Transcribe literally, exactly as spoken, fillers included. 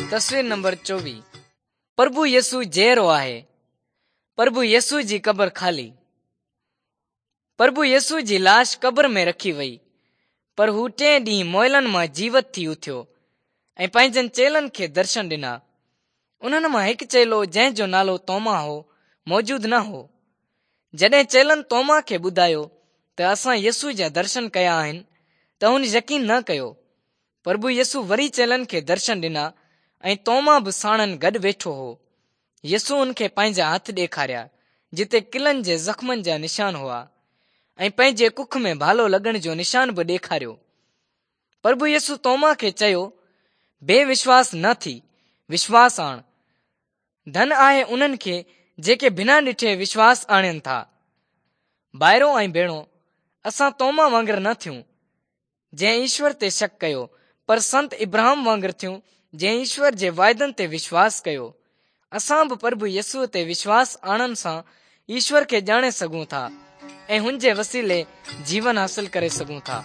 تصوير نمبر چوويهه. پرڀو يسوع جيئرو آهي. پرڀو يسوع جي قبر خالي. پرڀو يسوع جي لاش قبر ۾ رکي وئي، پر هو ٽئين ڏينهن مئلن مان جيوت ٿي اٿيو ۽ پنهنجن چيلن کي درشن ڏنا. انهن مان هڪ چيلو جنهن جو نالو توما هو، موجود نه هو. جڏهن چيلن توما کي ٻڌايو ته اسان يسوع جا درشن ڪيا آهن ته هن يقين نه ڪيو. پرڀو يسوع وري چيلن کي درشن ڏنا ۽ توما به ساڻن گڏ ويٺو هو. يسوع هن کي پنهنجا هٿ ڏيکاريا، جتي ڪلن جي زخمن جا نشان هئا ۽ پنهنجي ڪک ۾ ڀالو لڳڻ جو نشان به ڏيکاريو. پرڀو يسوع توما کي چيو، بي وشواس نه ٿي، وشواس آڻ. ڌن آهي انهن کي جيڪي بنا ڏٺي وشواس آڻين ٿا. ڀائرو ۽ ڀيڻو، اسان توما وانگر نه ٿيون، جنهن ايشور تي شڪ ڪيو، پر سنت ابراهام وانگر ٿيون، جنهن ايشور جي واعدن تي وشواس ڪيو. اسان به پرڀو يسوع تي وشواس آڻڻ سان ايشور کي ڄاڻي سگهون ٿا ۽ هن جي وسيلي جيون حاصل ڪري سگهون ٿا.